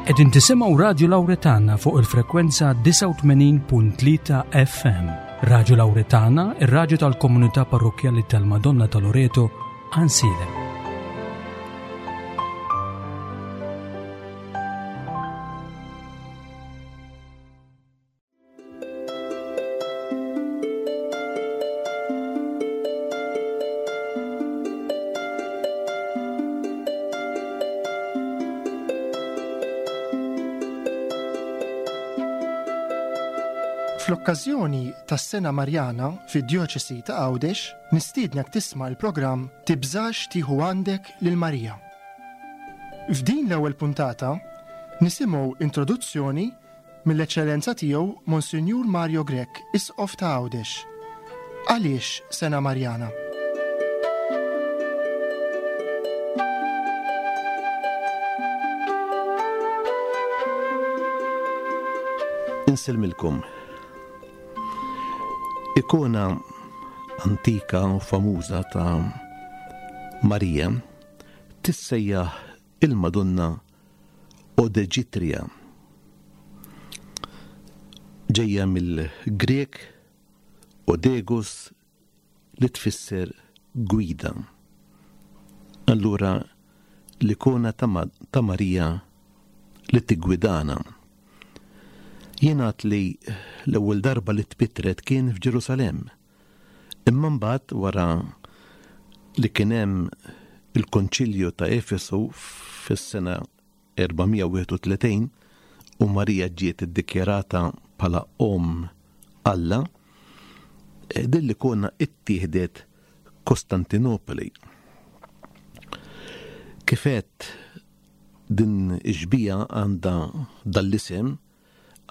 Qegħdin tisimgħu Radju Lawretana fuq il-frekwenza 89.3 FM. Radju Lawretana, ir-radju tal-komunità parrokkjali tal-Madonna ta' Loreto, Ansilem. Fl-okkażjoni tas-Sena Marjana fid-Djoċesi ta' Għawdex, nistiednek tisma' l-programm Tibżax tieħu għandek lil Marija. F'din l-ewwel puntata nisimgħu introduzzjoni Mill-Eċċellenza Tiegħu Monsinjur Mario Grech, Isqof ta' Għawdex. Għaliex Sena Marjana? Insellmilkom. Ikona antika u famuża ta' Marija tissejjaħ il-Madonna Odeġitria. Ġejja mill-Grieg odegus li tfisser gwida. Allura l-ikona ta' Marija li tiggwidana. Jingħad li l-ewwel darba li tpittret kien f'Ġerusalemm. Imma mbagħad wara li kien hemm il-Konċilju ta' Efesu fis-sena 431 u Marija ġiet iddikjarata bħala Omm Alla, eh, din l-ikona ittieħdet Kostantinopoli. Kif għedt din ix-xbieha għandha dal-isem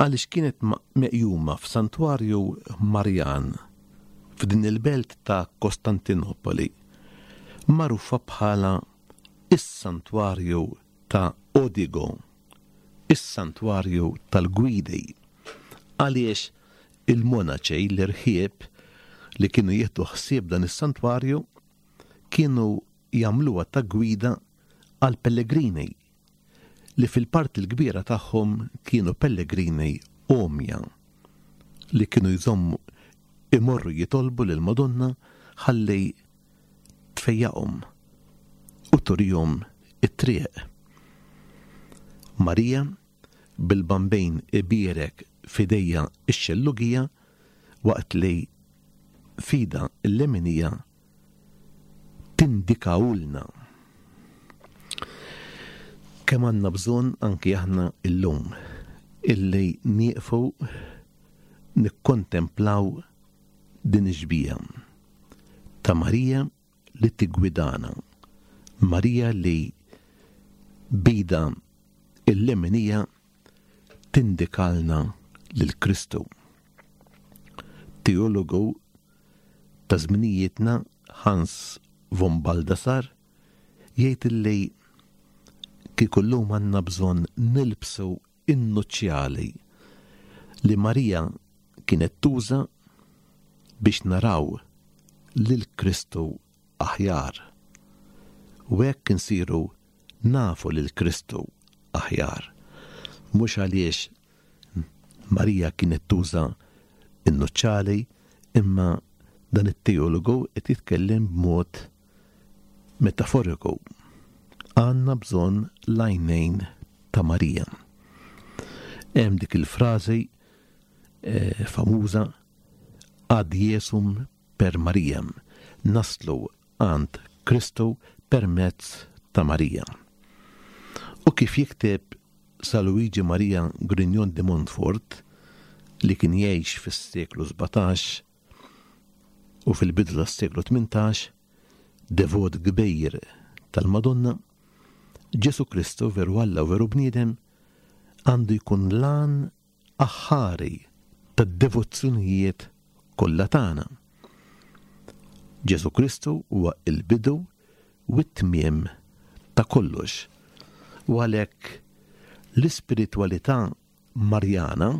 għaliex kienet meqjuma f'santwarju Marjan f'din il-belt ta' Kostantinopoli, magħrufa bħala is-Santwarju ta' Odigo, is-Santwarju tal-Gwidi, għaliex il-monaċi, l-irħieb li kienu jieħdu ħsieb dan is-santwarju kienu jagħmluha ta' gwida għall-pellegrini li fil-parti l-kbira tagħhom kienu pellegrini għomja li kienu jżommu imorru jitolbu lill-Madonna ħalli tfejjaqhom u turihom it-triq. Marija bil-Bambin ibierek f'idejha x-xellugija waqt li f'idha l-leminija tindikahulna. Kemm għandna bżonn anki aħna illum illi nieqfu nikkontemplaw din ix-xbieha ta' Marija li tiggwidana, Marija li b'idha l-leminija tindikalna lil Kristu. Teologu ta' żminijietna Hans von Balthasar jgħid illi kieku llum għandna bżonn nilbsu n-nuċċjali li Marija kienet tuża biex naraw lil Kristu aħjar. U hekk insiru nafu lil Kristu aħjar. Mhux għaliex Marija kienet tuża n-nuċċali imma dan it-teologu qed jitkellem b'mod metaforiku. Għandna bżonn l-għajnejn ta' Marija. Hemm dik il-frażi eh, famuża ad Jesum per Mariam, naslu għand Kristu permezz ta' Marija. U kif jikteb Sa Luigi Maria Grignon de Montfort, li kien jgħix fis-seklu 17 u fil-bidu tas-seklu 18, devot kbir tal-Madonna, Ġesù Kristu, veru Alla u veru bniedem, għandu jkun l-għan aħħari tad-devozzjonijiet kollha tagħna. Ġesù Kristu huwa l-bidu u t-tmiem ta' kollox. U għalhekk l-ispiritwalità Marjana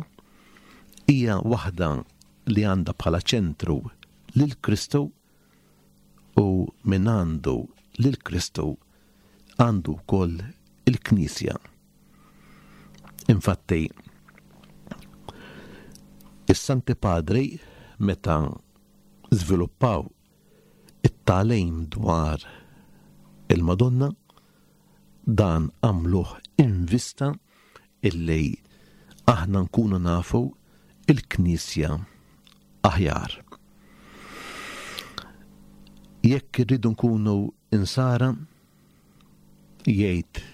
hija waħda li għandha bħala ċentru lil Kristu u min għandu lil Kristu għandu wkoll il-Knisja. Infatti, is-Santi Padri meta żviluppaw it-tagħlim dwar il-Madonna, dan għamluh in vista illi aħna nkunu nafu il-Knisja aħjar. Jekk irridu nkunu insara, jgħid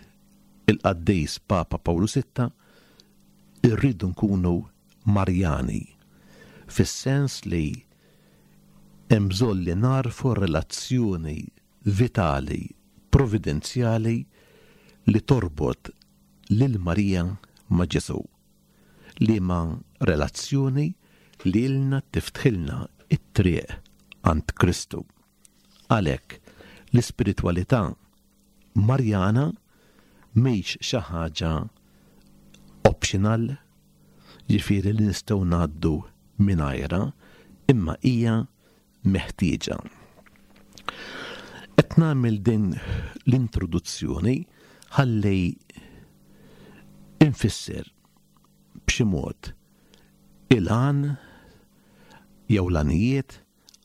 il-qaddis Papa Pawlu Sitta, irridu nkunu Marjani, fis-sens li hemm bżonn li nagħrfu r-relazzjoni vitali, providenzjali li torbot lil Marija ma' Ġesù, liema relazzjoni lilna tiftħilna t-triq għand Kristu. Għalhekk, l-ispiritwalità Marjana mhix xi ħaġa optional, ġifieri li nistgħu ngħaddu mingħajrha, imma hija meħtieġa. Qed nagħmel din l-introduzzjoni ħalli infisser b'xi mod il-għan jew l-għanijiet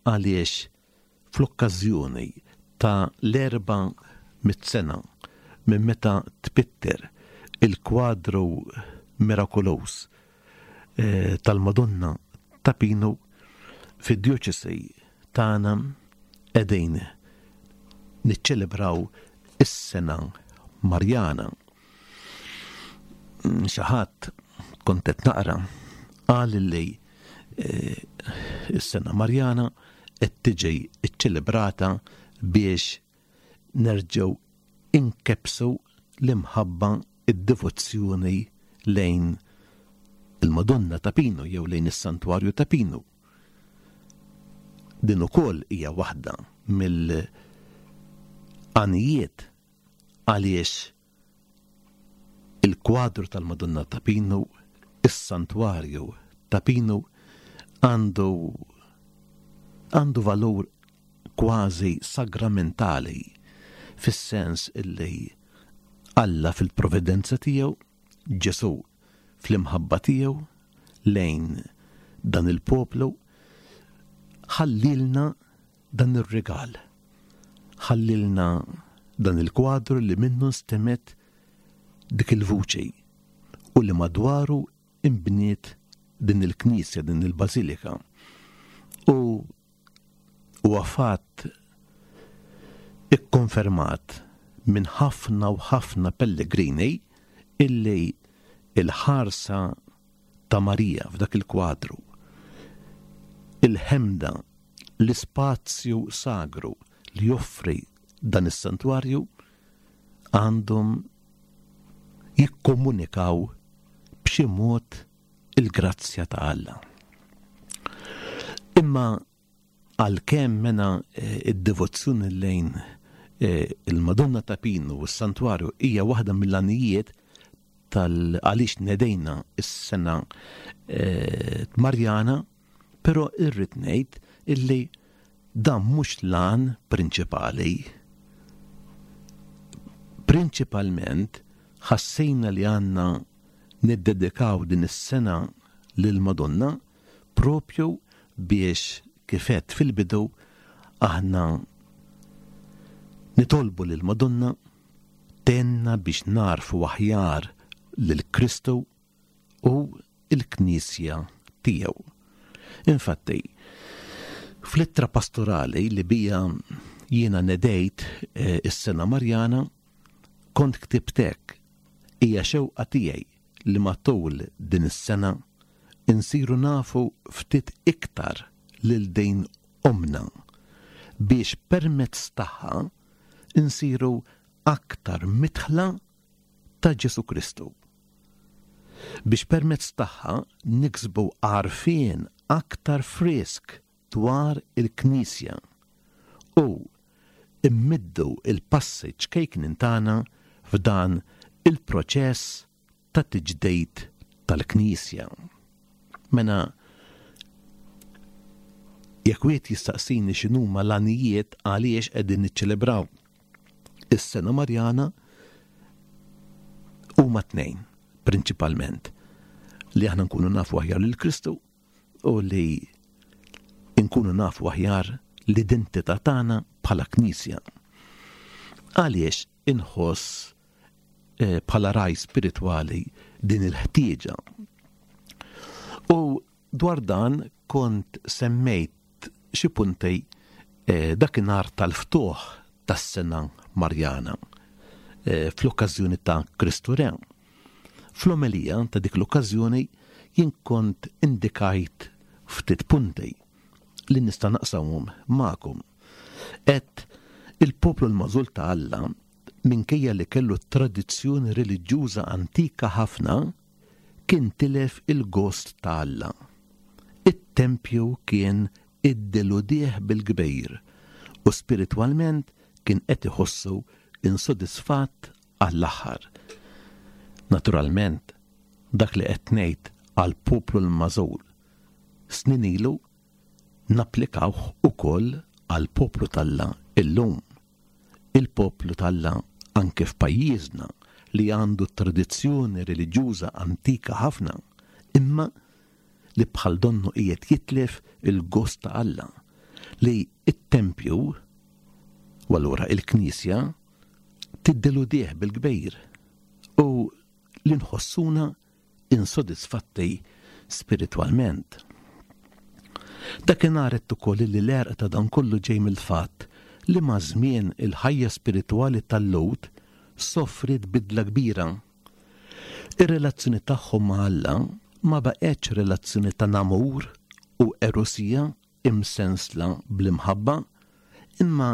għaliex fl-okkażjoni ta' l-400 sena minn meta tpitter il-kwadru mirakoluż tal-Madonna ta' Pinu fid-djoċesi tagħna qegħdin niċċelebraw is-sena Marjana. Xi ħadd kont qed naqra qal li is-sena Marjana qed tiġi ċċelebrata biex nerġgħu inkebbsu l-imħabba, id-devozzjoni lejn il-Madonna ta' Pinu jew lejn is-Santwarju ta' Pinu. Din ukoll hija waħda mill-għanijiet għaliex Il-kwadru tal-Madonna ta' Pinu, is-Santwarju ta' Pinu għandu għandu valur kważi sagramentali fis-sens illi Alla fil-providenza tiegħu, Ġesù fl-imħabba tiegħu lejn dan il-poplu ħallilna dan ir-rigal. Ħallilna dan il-kwadru li minnu nstemgħet dik il-vuċi u li madwaru imbniet din il-knisja, din il-bażilika. U huwa fatt ikkonfermat minn ħafna u ħafna pellegrini illi il-ħarsa ta' Marija f'dak il-kwadru, il-ħemda, l-ispazju sagru li joffri dan is-santwarju għandhom jikkomunikaw b'xi mod il-grazzja ta' Alla. Imma Għalkemm mena d-devozzjoni lejn il-Madonna ta' Pinu u s-Santwarju hija waħda mill-għanijiet tal għaliex nedejna s-sena Marjana, però irrid ngħid illi dan mhux l-għan prinċipali. Prinċipalment ħassejna li għandna niddedikaw din is-sena lill-Madonna Propju biex, kif għedt fil-bidu, aħna nitolbu lill-Madonna tgħinna biex nagħrfu aħjar lil Kristu u l-Knisja tiegħu. Infatti, fl-ittra pastorali li bija jiena nedejt eh, is-sena Marjana, kont ktibt hekk, hija xewqa tiegħi li matul din is-sena insiru nafu ftit iktar lil din Ommna, biex permezz tagħha nsiru aktar midħla ta' Ġesù Kristu. Biex permezz tagħha niksbu għarfien aktar frisk dwar il-Knisja u mmiddu l-passi ċkejknin tagħna f'dan il-proċess ta' tiġdid tal-Knisja. Mela, jekk wieħed jistaqsini x'inhuma l-għanijiet għaliex qegħdin niċċelebraw is-sena Marjana, huma tnejn. Prinċipalment li aħna nkunu nafu aħjar lil Kristu u li nkunu nafu aħjar l-identità tagħna bħala Knisja. Għaliex inħoss eh, bħala raj spiritwali din il-ħtieġa? U dwar dan kont semmejt xi punti eh, dakinhar tal-ftuħ tas-sena Marjana eh, fl-okkażjoni ta' Kristu Re. Fl-omelija ta' dik l-okkażjoni jien kont indikajt ftit punti li nista' naqsamhom magħkom. Għedt il-poplu l-magħżul ta' Alla minkejja li kellu tradizzjoni reliġjuża antika ħafna, kien tilef il-gost ta' Alla. It-tempju kien iddeludih bil-kbir u spiritwalment kien qed iħossu insodisfatt għall-aħħar. Naturalment, dak li qed ngħid għall-poplu l-magħżul snin ilu napplikawh ukoll għall-poplu t'Alla illum. Il-poplu t'Alla anke f'pajjiżna li għandu tradizzjoni reliġjuża antika ħafna, imma li bħal donnu qiegħed jitlef il-gost ta' Alla, li t-tempju, u allura il-Knisja, tiddeludih bil-kbir u li nħossuna insodisfatti spiritwalment. Dakinhar għedt ukoll li l-għerq ta' dan kollu ġej mill-fatt li maż-żmien il-ħajja spiritwali tal-Lhud sofriet bidla kbira. Ir-relazzjoni tagħhom ma' Alla ma baqgħetx relazzjoni ta' namur u erosija imsensla bl-imħabba, imma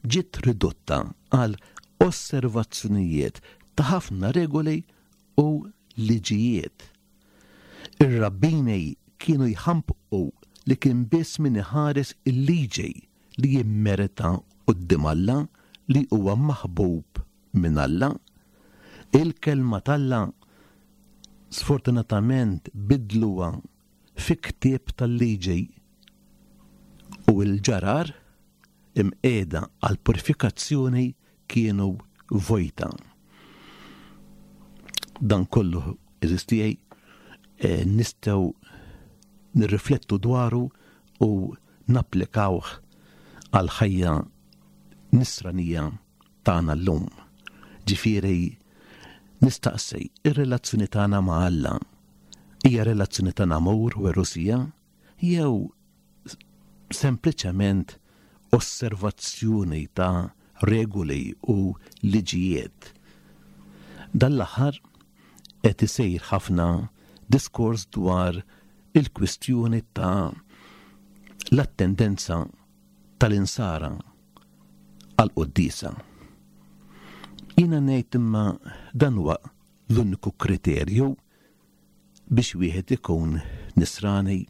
ġiet ridotta għal osservazzjonijiet ta' ħafna regoli u liġijiet. Ir-rabbini kienu jħampqu li kien biss min iħares il-liġi li jimmerita quddiem Alla li huwa maħbub minn Alla. Il-Kelma t'Alla sfortunatament bidluha fi ktieb tal-liġi u l-ġarar imqiegħda għall-purifikazzjoni kienu vojta. Dan kollu għeżież tiegħi eh, nistgħu nirriflettu dwaru u napplikawh għal ħajja nisranija tagħna llum. Ġifieri nistaqsi, ir-relazzjoni tagħna ma' Alla hija relazzjoni ta' namur u erosija jew sempliċement osservazzjoni ta' regoli u liġijiet. Dan l-aħħar qed isir ħafna diskors dwar il-kwistjoni ta' l-attendenza tal-insara għall-quddiesa. Jiena ngħid imma dan huwa l-uniku kriterju biex wieħed ikun nisrani.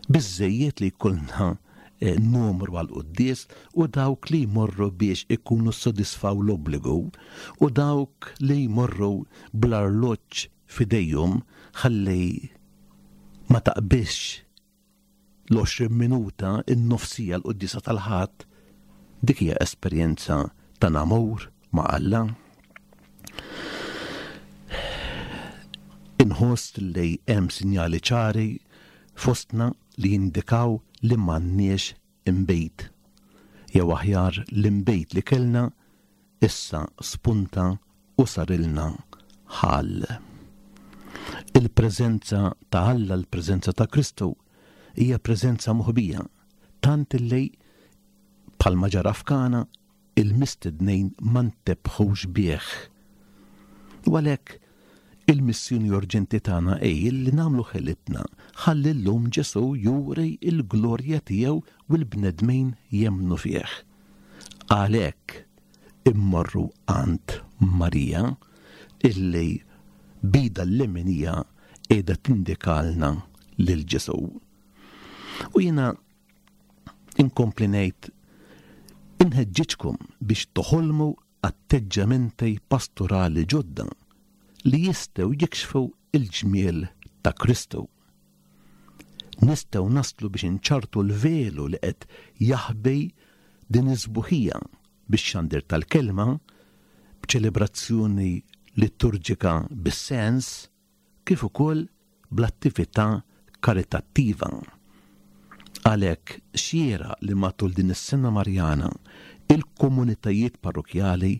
Biżżejjed li jkollna eh, numru għal quddies u dawk li jmorru biex ikunu ssodisfaw l-obbligu u dawk li jmorru bl-arloġġ f'idejhom ħalli ma taqbiżx l-20 minuta, in-nofsija l-quddiesa tal-Ħadd, dik hija esperjenza ta' namur ma' Alla. Inħoss li hemm sinjali ċari fostna li jindikaw li m'għandniex inbid. Jew aħjar l-inbid li kellna issa spunta u sarilna ħall. Il-preżenza ta' Alla, l-preżenza ta' Kristu, hija preżenza moħbija, tant illi bħalma ġara f'Kana, il-mistednin ma ntebħux bih. U għalhekk il-missjoni urġenti tagħna hi li nagħmlu ħilitna ħalli llum Ġesù juri l-glorja tiegħu u l-bnedmin jemmnu fih. Għalhekk immorru għand Marija illi b'idha l-leminija qiegħda tindikalna lil Ġesù. U jiena inkompli ngħid inħeġġiġkom biex toħolmu atteġġamenti pastorali ġodda li jistgħu jikxfu l-ġmiel ta' Kristu. Nistgħu naslu biex inċarrtu l-velu li qed jaħbi din is-sbuħija bix-xandir tal-Kelma, b'ċelebrazzjoni liturġika bis-sens kif ukoll bl-attività karitattiva. Għalhekk xieraq li matul din is-Sena Marjana il-komunitajiet parrokkjali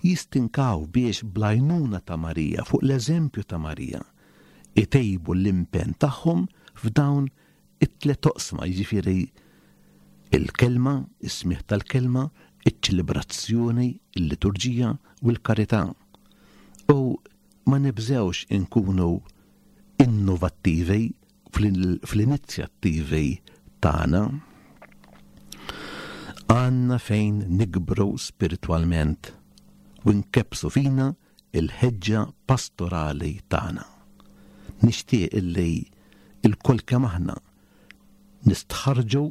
jistinkaw biex bl-għajnuna ta' Marija, fuq l-eżempju ta' Marija, itejbu l-impenn tagħhom f'dawn it-tlet oqsma, jiġifieri il-kelma, is-smigħ tal-kelma, iċ-ċelebrazzjoni, il-liturġija u l-karità. U ma nibżgħux inkunu innovattivi fl-inizjattivi tagħna. Għandna fejn nikbru spiritwalment u nkebbsu fina l-ħeġġa pastorali tagħna. Nixtieq illi lkoll kemm aħna nistħarrġu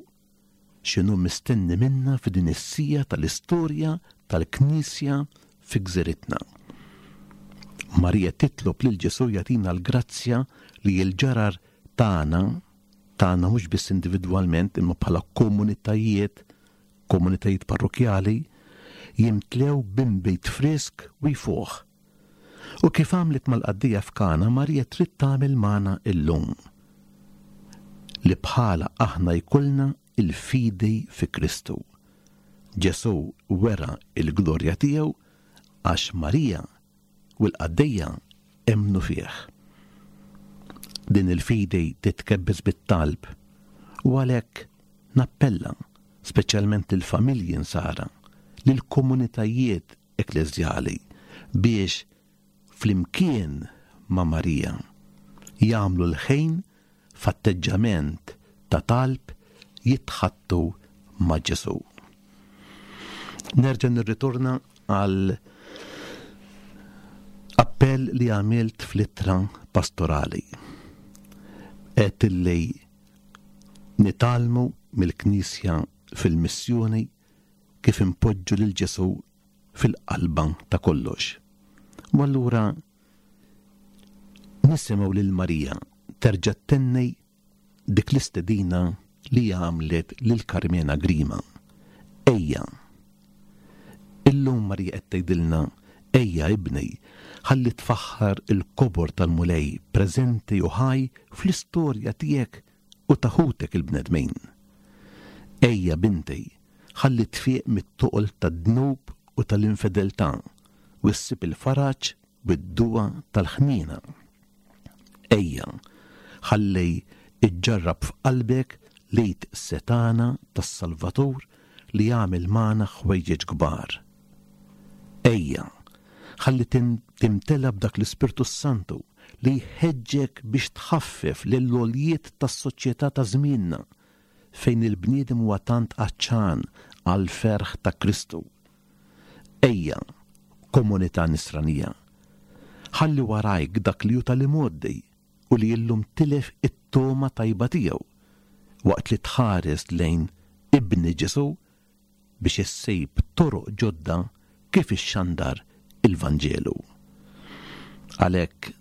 x'inhu mistenni minna f'din is-siegħa tal-istorja tal-Knisja fi gżiritna. Marija titlob lil Ġesù jagħtina l-grazzja li l-ġarar tagħna, tagħna mhux biss individwalment imma bħala komunitajiet, komunitajiet parrokkjali, jimtlew b'inbid frisk u jfuħ. U kif għamlet mal-qaddejja f'Kana, Marija trid tagħmel magħna illum. Li bħala aħna jkollna il-fidi fi Kristu. Ġesù wera l-glorja tiegħu għax Marija u l-qaddejja emmnu fih. Din il-fidi titkebbes bit-talb u għalhekk nappella speċjalment lill-familji Nsara, lill-komunitajiet ekkleżjali biex flimkien ma' Marija jagħmlu l-ħin f'atteġġament ta' talb jitħaddtu ma' Ġesù. Nerġa' nirritorna għal appell li għamilt fl-ittra pastorali. Għedt illi nitgħallmu mill-Knisja fil-missjoni kif inpoġġu lil Ġesù fil-qalba ta' kollox. U allura nisimgħu lil Marija terġa' ttenni dik l-istedina li għamlet lil Karmena Grima. Ejja! Illum Marija qed tgħidilna, Ejja ibni, ħalli tfaħħar il-kobor tal-Mulej preżenti u ħaj fl-istorja tiegħek u ta' ħutek il-bnedmin. Ejja, binti, ħalli tfiq mit-toqol tad-dnub u tal-infedeltà u ssib il-faraġ u d-duwa tal-ħniena. Ejja, ħalli ġġarrab f'qalbek l-id setgħana tas-Salvatur li għamel magħna ħwejjeġ kbar. Ejja, ħalli timtela b'dak l-Ispirtu s-Santu li jħeġġek biex tħaffef lill-għoljiet tas-soċjetà ta' żmienna fejn il-bniedem huwa tant għatxan għall-ferħ ta' Kristu. Ejja, komunità Nisranija, ħalli warajk dak li hu tal-imgħoddi u li illum tilef it-togħma tajba tiegħu, waqt li tħares lejn Ibni Ġesù biex issib toroq ġodda kif ixxandar il-Vanġelu. Għalhekk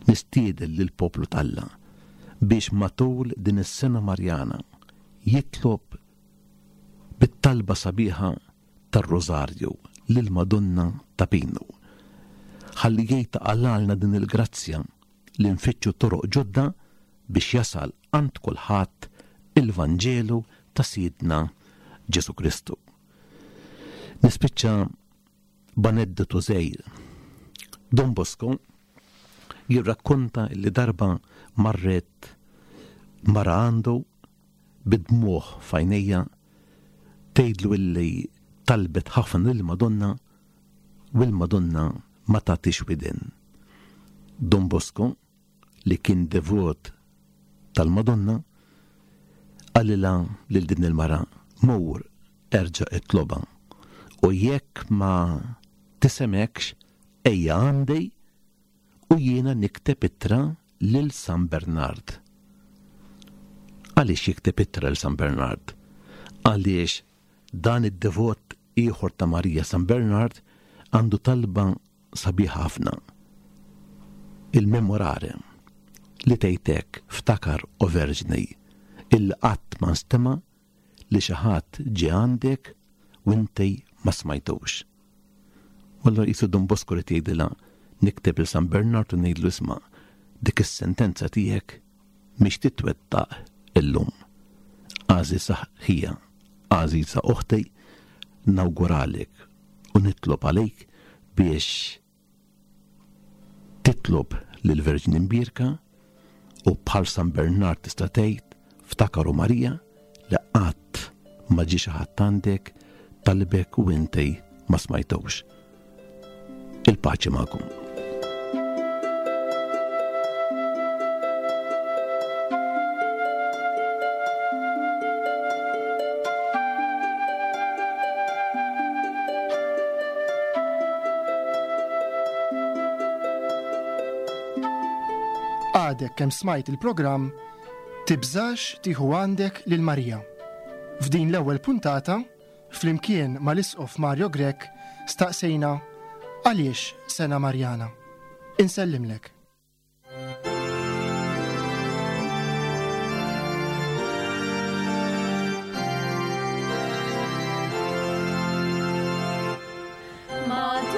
nistieden lill-poplu t'Alla biex matul din is-sena Marjana jitlob bit-talba sabiħa tar-Rużarju lill-Madonna ta' Pinu. Ħalli hi taqalgħalna din il-grazzja li nfittxu toroq ġodda biex jasal għand kulħadd il-Vanġelu ta' Sidna Ġesù Kristu. Nispiċċa b'aneddotu żgħir. Don Bosco jirrakkonta li darba marret mara għandu bid-dmugħ f'għajnejha tgħidlu illi talbet ħafna lill-Madonna u l-Madonna ma tagħtix widen. Don Bosco, li kien devot tal-Madonna, qalilha lil din il-mara, Mur erġa' itlobha, u jekk ma tisemgħekx ejja għandi u jiena nikteb ittra lil San Bernard. Għaliex jikteb ittra lil San Bernard? Għaliex dan id-devot ieħor ta' Marija San Bernard għandu talba sabiħa ħafna. Il-Memorare li tgħid hekk, Ftakar, O Verġni, illi qatt ma nstema' li xi ħadd ġie għandek u inti ma smajtux. U allura qisu Don Bosco rid jgħidilha, Nikteb lil San Bernard u ngħidlu isma' dik is-sentenza tiegħek mhix titwettaq illum. Għażiża ħija, għażiża oħti, nawguralek u nitlob għalik biex titlob lill-Verġni Mbierka u bħal San Bernard tista' tgħid ftakar o Marija li qatt ma ġie xi ħadd għandek talbek u inti ma smajtux. Il-paċi magħkom. Għadek kemm smajt il-programm Tibżax tieħu għandek lil Marija. F'din l-ewwel puntata, flimkien mal-Isqof Mario Grech staqsejna għaliex Sena Marjana. Insellimlek. Ma.